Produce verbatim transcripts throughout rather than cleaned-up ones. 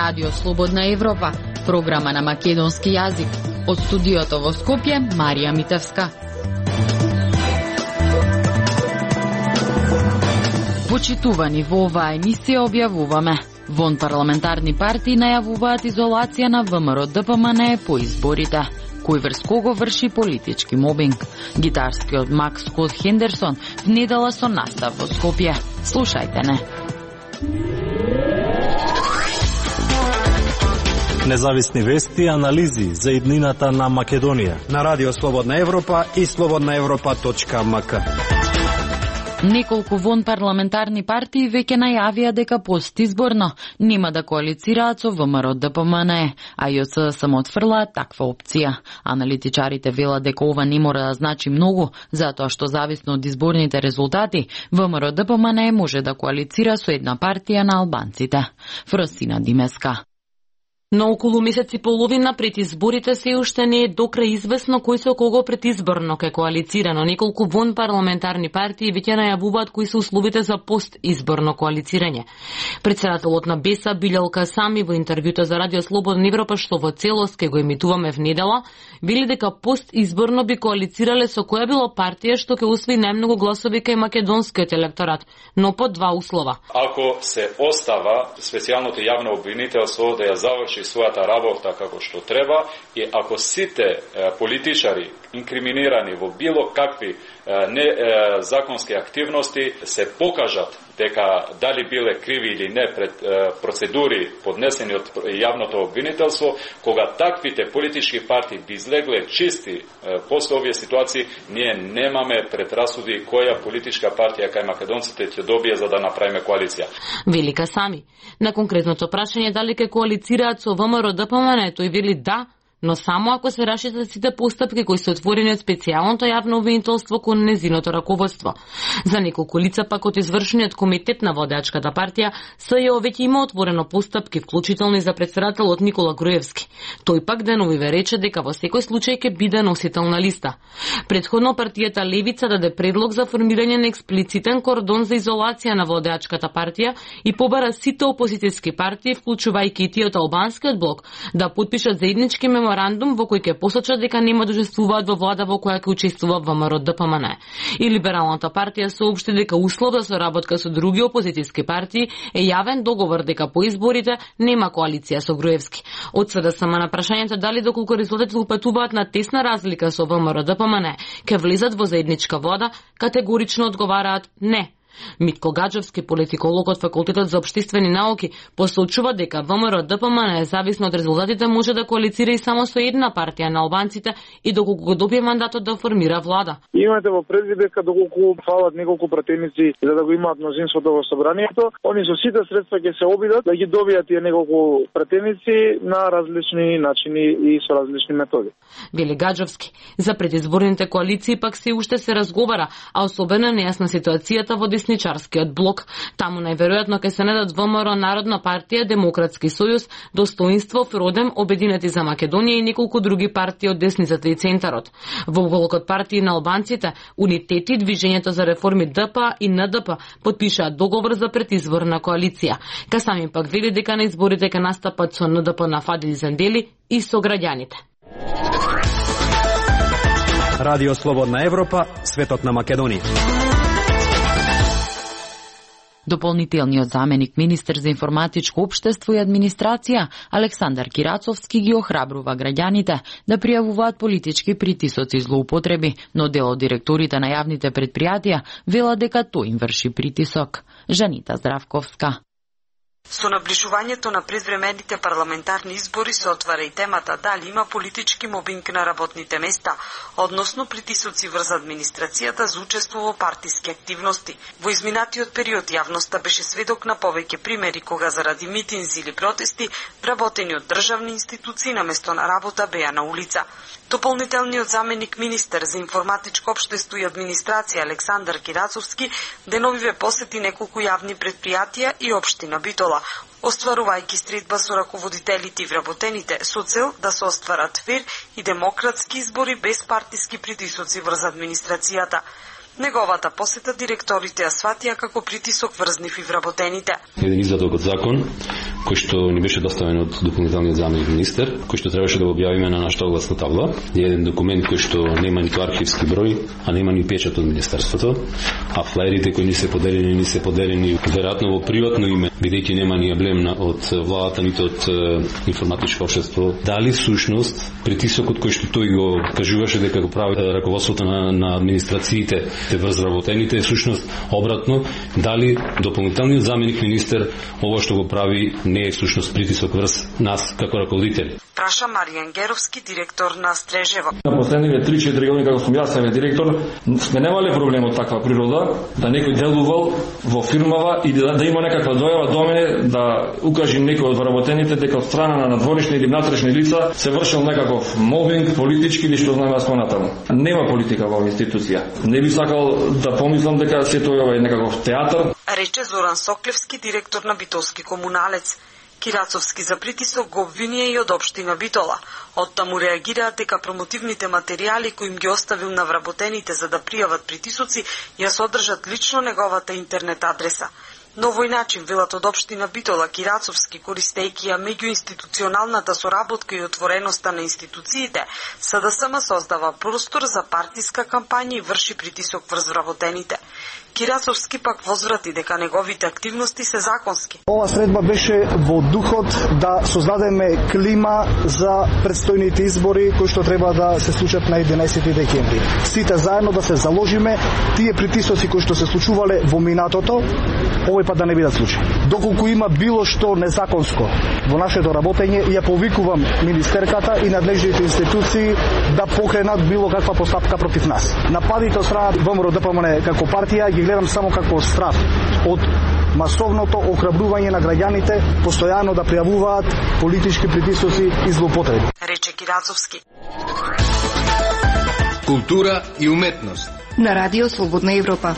Радио Слободна Европа, програма на македонски јазик. Од студиото во Скопје, Марија Митевска. Почитувани, во оваа емисија објавуваме: вон парламентарни партии најавуваат изолација на ВМРО-ДПМНЕ по изборите. Кој врз кого врши политички мобинг? Гитарскиот Макс Скот Хендерсон внедела со настав во Скопје. Слушајте не. Независни вести и анализи за иднината на Македонија на Радио Слободна Европа и слободна европа точка ем ка. Неколку вон парламентарни партии веќе најавија дека постизборно нема да коалицираат со ВМРО-ДПМНЕ, а ЈС само отфрла таква опција. Аналитичарите велат дека ова не мора да значи многу, затоа што зависно од изборните резултати, ВМРО-ДПМНЕ може да коалицира со една партија на албанците. Фросина Димеска. На околу месец и половина пред изборите се уште не е до крај известно кој со кого предизборно ке коалицира, но неколку вон парламентарни партии веќе најавуваат кои се условите за постизборно коалицирање. Председателот на БЕСА Билјал Касами во интервјуто за Радио Слободна Европа, што во целост ке го емитуваме внедела, вели дека постизборно би коалицирале со која било партија што ќе усвои најмногу гласови кај македонскиот електорат, но по два услова. Ако се остава специјалното јавно обвинителство да ја заврши својата работа како што треба, и ако сите е, политичари инкриминирани во било какви е, не е, законски активности се покажат дека дали биле криви или не пред е, процедури поднесени од јавното обвинителство, кога таквите политички партии би излегле чисти е, после овие ситуации, ние немаме предрасуди која политичка партија кај македонците ќе добие за да направиме коалиција. Велика сами. На конкретното прашање дали ке коалицираат со ВМРО-ДПМНЕ, тој вели да, но само ако се рашитат сите постапки кои се отворени од специјалното јавно обвинителство кон незиното раководство. За неколку лица пак од извршениот комитет на водачката партија СЈО веќе има отворено постапки, вклучително и за председателот Никола Груевски. Тој пак деновиве рече дека во секој случај ќе биде носител на листа. Предходно партијата Левица даде предлог за формирање на експлицитен кордон за изолација на водачката партија и побара сите опозицијски партии, вклучувајќи и тие од албанскиот блок, да потпишат заеднички меморандум во кој ќе посочат дека нема да учествуваат во влада во која ќе учествува ВМРО-ДПМНЕ. И Либералната партија соопшти дека услов за соработка со други опозицијски партии е јавен договор дека по изборите нема коалиција со Груевски. Од СДСМ на прашањето дали доколку резултатите упатуваат на тесна разлика со ВМРО-ДПМНЕ ќе влезат во заедничка влада, категорично одговараат не. Митко Гаджовски, политиколог од Факултетот за општествени науки, посочува дека ВМРО-ДПМНЕ зависно од резултатите може да коалицира и само со една партија на албанците и доколку го добие мандатот да формира влада. Имате во предвид дека доколку фалат неколку пратеници за да го имаат мнозинството во собранието, они со сите средства ќе се обидат да ги добијат тие неколку пратеници на различни начини и со различни методи. Вели Гаджовски, за предизборните коалиции пак се уште се разговара, а особено нејасна ситуацијата во десничарскиот блок. Таму најверојатно ќе се најдат ВМРО, Народна партија, Демократски сојуз, Достоинство, Фродем, Обединети за Македонија и неколку други партии од десницата и центарот. Во блокот партии на албанците, Унитети, Движењето за реформи ДП и НДП потпишаат договор за предизборна коалиција. Касами пак вели дека на изборите ќе настапат со НДП на Фадил Зендели и со граѓаните. Радио Слободна Европа, светот на Македонија. Дополнителниот заменик министер за информатичко општество и администрација Александар Кирацовски ги охрабрува граѓаните да пријавуваат политички притисоци и злоупотреби, но дел од директорите на јавните предпријатија велат дека тој им врши притисок. Жанита Здравковска. Со наближувањето на предвремените парламентарни избори се отвара и темата дали има политички мобинг на работните места, односно притисоци врз администрацијата за учество во партиски активности. Во изминатиот период јавноста беше сведок на повеќе примери кога заради митинзи или протести вработени од државни институции наместо на работа беа на улица. Дополнителниот заменик министер за информатичко општество и администрација Александар Кирацовски деновиве посети неколку јавни предпријатија и општина Битола, остварувајќи средба со раководителите и вработените со цел да се остварат фер и демократски избори без партиски притисоци врз администрацијата. Неговата посета директорите ја сватија како притисок врз нив и вработените. Еден извадок од закон кој што ни беше доставен од дополнителниот заменик министер, кој што требаше да го објавиме на нашата огласна табла. Е еден документ кој што нема ниту архивски број, а нема ни печат од министерството, а флаерите кои ни се поделени, ни се поделени веројатно во приватно име, бидејќи нема ни емблем од владата ниту од информатичко општество. Дали всушност притисокот кој што тој го кажуваше дека го прави раководството на, на администрациите те врз работените е всушност обратно, дали дополнителниот заменик министер ова што го прави не е всушност притисок врз нас како раководители. Праша Маријан Геровски, директор на Стрежево. На последниве три-четири години како сум јас себе директор, сме немале проблем од таква природа, да некој делувал во фирмава и да, да има некаква дојава до мене да укаже некој од вработените дека од страна на надворешни или внатрешни лица се вршил некаков мобинг, политички или што знаеме спонатаму. Нема политика во институција. Не би сакал да помислам дека се тоа е некаков театар. Рече Зоран Соклевски, директор на Битолски комуналец. Кирацовски за притисок го обвинија и од општина Битола. Оттаму реагираат дека промотивните материјали кои им ги оставил на вработените за да пријават притисоци ја содржат лично неговата интернет адреса. На овој начин, велат од општина Битола, Кирацовски, користејќи ја меѓуинституционалната соработка и отвореноста на институциите, СДСМ создава простор за партиска кампања и врши притисок врз вработените. Кирацовски пак возврати дека неговите активности се законски. Ова средба беше во духот да создадеме клима за предстојните избори кои што треба да се случат на единаесети декември. Сите заедно да се заложиме тие притисоци кои што се случувале во минатото, овој пат да не бидат случаи. Доколку има било што незаконско во нашето работење, ја повикувам министерката и надлежните институции да покренат било каква постапка против нас. Нападите од страна ВМРО ДПМН како партија ги гледам само како страф од масовното охрабрување на граѓаните постојано да пријавуваат политички притисоци и злоупотреби. Рече Кирацовски. Култура и уметност. На Радио Слободна Европа.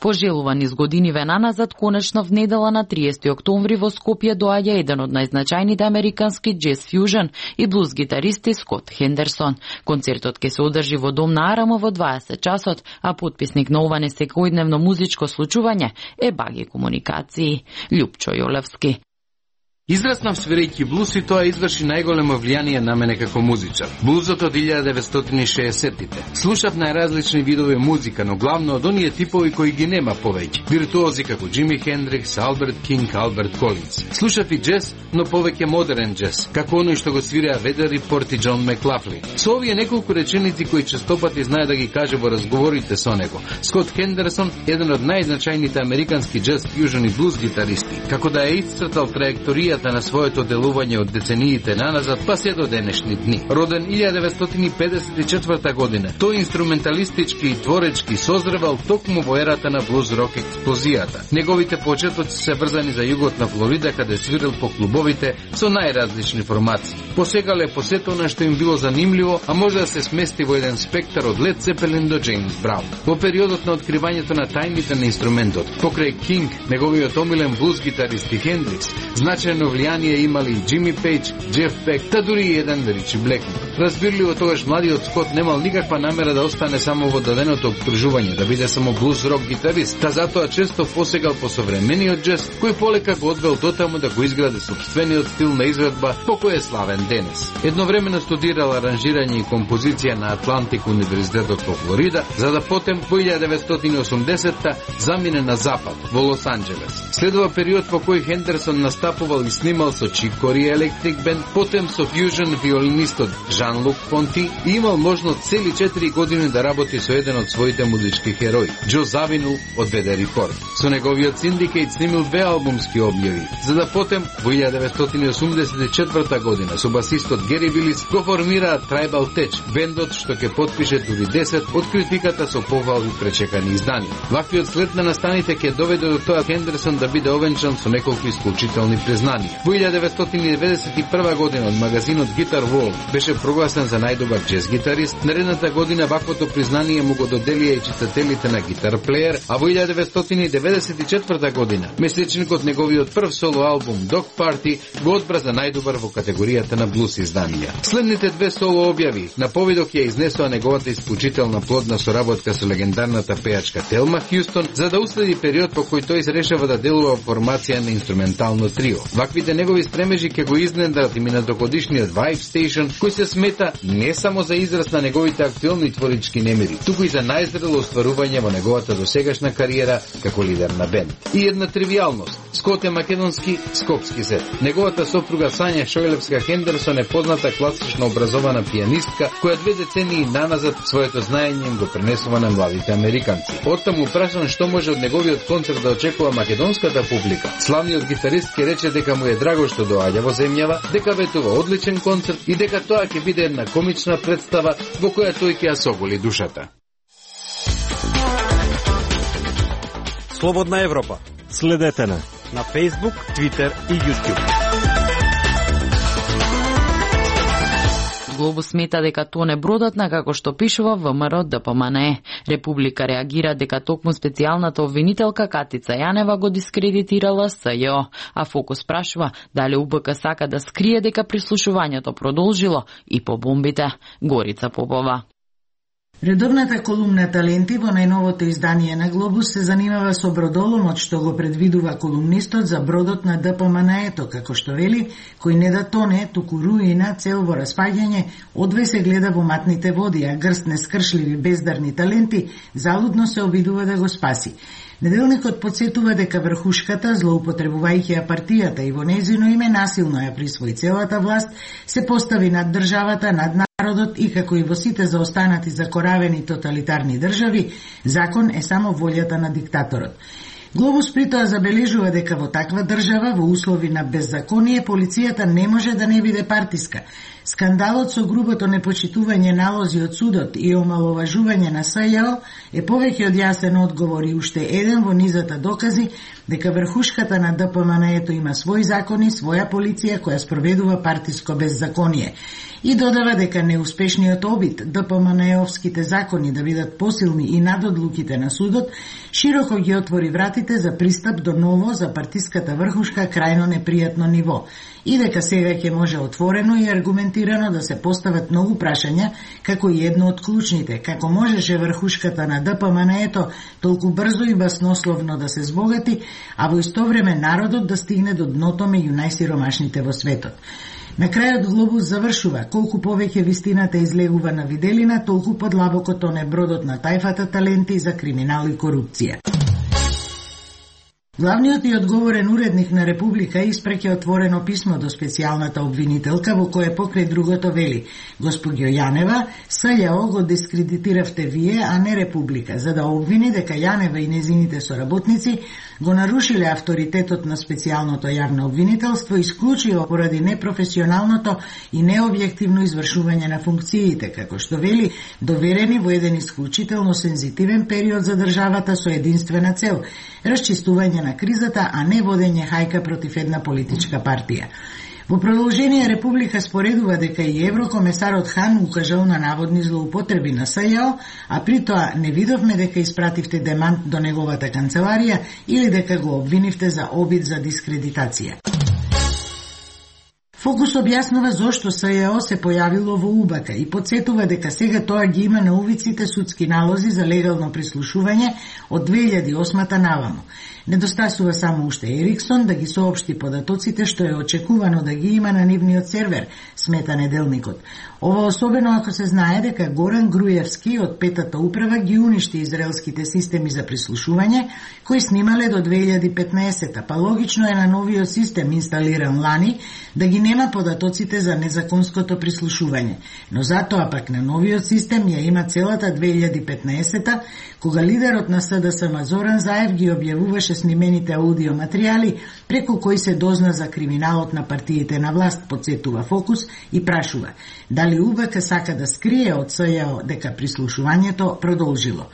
Пожелуван из години венаназад, конечно внедела на триесети октомври во Скопје доаѓа еден од најзначајните американски джез фјужен и блуз гитаристи Скот Хендерсон. Концертот ќе се одржи во Дом на Арама во дваесет часот, а потписник на ова несекојдневно музичко случување е Баги Комуникации. Љупчо Јолевски. Израснав свирејќи блуз и тоа изврши најголемо влијание на мене како музичар. Блузот од илјада деветстотини и шеесеттите. Слушав најразлични видови музика, но главно од оние типови кои ги нема повеќе. Виртуози како Џими Хендрикс, Алберт Кинг, Алберт Колинс. Слушав и джез, но повеќе модерен джез, како оној што го свиреа Ведер Рипорт и Џон Маклафлин. Со овие неколку реченици кои честопати знае да ги каже во разговорите со него. Скот Хендерсон, еден од најзначајните американски джез фјужен и блуз гитаристи, како да е исцртал траекторијата на своето делување од децениите наназад па се до денешни дни. Роден илјада деветстотини педесет и четврта година, тој инструменталистички и творечки созревал токму во ерата на блуз рок експлозијата. Неговите почетоци се врзани за југот на Флорида, каде свирил по клубовите со најразлични формации. Посегале по сето на што им било занимливо, а може да се смести во еден спектар од Лед Цепелин до Джеймс Браун. Во периодот на откривањето на тајните на инструментот, покрај Кинг, неговиот омилен блуз гитарист и Хендрикс, значајно влијание имали и Џими Пејдж, Џеф Бек, та дури и еден Ричи Блекмор. Разбирливо тогаш младиот Скот немал никаква намера да остане само во даденото обкружување, да биде само блуз рок гитарист, та затоа често посегал по современиот джез, кој полека го одвел дотаму да го изгради сопствениот стил на изведба по кој е славен денес. Едновремено студирал аранжирање и композиција на Атлантик универзитетот во Флорида, за да потем во илјада деветстотини и осумдесетта замине на запад, во Лос Анџелес. Следува период во кој Хендерсон настапувал и снимал со Чик Кори Електрик Бенд, потем со фјужен виолинистот Жан-Лук Понти и имал можност цели четири години да работи со еден од своите музички херои, Џо Завину од Ведер Репорт. Со неговиот синдикейт снимил две албумски објави, за да потем во илјада деветстотини и осумдесет и четврта година со басистот Гери Вилис го формираат Tribal Tech, бендот што ќе потпише дури десет од критиката со повални пречекани изданија. Ваквиот след на настаните ќе доведе до тоа Хендерсон да биде овенчан со неколку исклучителни признанија. Данија. Во илјада деветстотини и деветдесет и прва година од магазинот Guitar World беше прогласен за најдобар джез гитарист. Наредната година ваквото признание му го доделија и читателите на Guitar Player, а во илјада деветстотини и деветдесет и четврта година месечникот неговиот прв соло албум Dog Party го одбра за најдобар во категоријата на блус изданија. Следните две соло објави на повидок ја изнесоа неговата исклучителна плодна соработка со легендарната пејачка Телма Хјустон, за да уследи период по кој тој решава да делува формација на инструментално трио. Ваквите негови стремежи ќе го изненадат и минатогодишниот Vibe Station, кој се смета не само за израз на неговите актуелни творички немири, туку и за најзрело остварување во неговата досегашна кариера како лидер на бенд. И една тривијалност. Скот е македонски, скопски зет. Неговата сопруга Сања Шојлевска Хендерсон е позната класично образована пијанистка, која две децении наназад своето знаење им го пренесува на младите американци. Оттаму прашан што може од неговиот концерт да очекува македонската публика. Славниот гитарист ќе рече дека му е драго што доаѓа во земјава, дека ветува одличен концерт и дека тоа ќе биде една комична представа во која тој ќе ја соголи душата. Слободна Европа. Следете на на Facebook, Twitter и YouTube. Глобус смета дека тоа не бродатна како што пишува ВМРО Д П М Н Е. Република реагира дека токму специјалната обвинителка Катица Јанева го дискредитирала С Ј О, а Фокус прашува дали У Б К сака да скрие дека прислушувањето продолжило и по бомбите. Горица Попова. Редовната колумна Таленти во најновото издание на Глобус се занимава со бродоломот што го предвидува колумнистот за бродот на Д П М Н Е-то, како што вели, кој не да тоне, туку руина, цел во распаѓање, одвај се гледа во матните води, а грст нескршливи бездарни таленти залудно се обидува да го спаси. Неделникот подсетува дека врхушката, злоупотребувајќи ја партијата и во незино име насилно ја присвои целата власт, се постави над државата, над народот и како и во сите заостанати закоравени тоталитарни држави, закон е само волјата на диктаторот. Глобус притоа забележува дека во таква држава, во услови на беззаконие, полицијата не може да не биде партиска. Скандалот со грубото непочитување налози од судот и омаловажување на С Ј О е повеќе од јасен одговор и уште еден во низата докази дека врхушката на Д П М Н Е-то има свој закони, своја полиција која спроведува партиско беззаконие. И додава дека неуспешниот обид Д П М Н Е-овските закони да бидат посилни и над одлуките на судот, широко ги отвори вратите за пристап до ново за партиската врхушка крајно непријатно ниво. И дека сега ќе може отворено и аргументирано да се постават многу прашања, како и едно од клучните, како можеше врхушката на Д П М Н Е-то толку брзо и баснословно да се збогати, а во исто време народот да стигне до дното меѓу најсиромашните во светот. На крајот Глобус завршува: колку повеќе вистината излегува на виделина, толку подлабоко тоне бродот на тајфата таленти за криминал и корупција. Главниот и одговорен уредник на Република испреќа отворено писмо до специјалната обвинителка во кое покрај другото вели: Госпоѓо Јанева, С Ј О го дискредитиравте вие, а не Република, за да обвини дека Јанева и незините соработници го нарушиле авторитетот на специјалното јавно обвинителство исклучиво поради непрофесионалното и необјективно извршување на функциите, како што вели, доверени во еден исклучително сензитивен период за државата со единствена цел – расчистување на кризата, а не водење хајка против една политичка партија. Во продолжение Република споредува дека и еврокомесарот Хан укажал на наводни злоупотреби на С Ј О, а при тоа не видовме дека испративте демант до неговата канцеларија или дека го обвинивте за обид за дискредитација. Фокус објаснува зошто С Ј О се појавило во У Б К и подсетува дека сега тоа ги има на увиците судски налози за легално прислушување од две илјади и осма наваму. Недостасува само уште Ериксон да ги соопшти податоците што е очекувано да ги има на нивниот сервер, смета неделникот. Ова особено ако се знае дека Горан Груевски од петата управа ги уништи израелските системи за прислушување, кои снимале до две илјади и петнаесета, па логично е на новиот систем инсталиран лани да ги нема податоците за незаконското прислушување. Но затоа пак на новиот систем ја има целата две илјади и петнаесета, кога лидерот на С Д С М Зоран Заев ги објавуваше снимените аудио материјали преку кои се дозна за криминалот на партиите на власт, подсетува Фокус и прашува дали У Б К сака да скрие од С Ј О дека прислушувањето продолжило.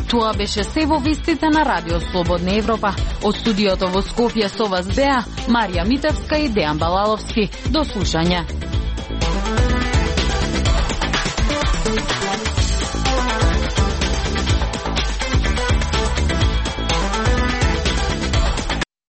Тоа беше се во вестите на Радио Слободна Европа. Од студиото во Скопје со вас беа Марија Митевска и Дејан Балаловски. До слушање.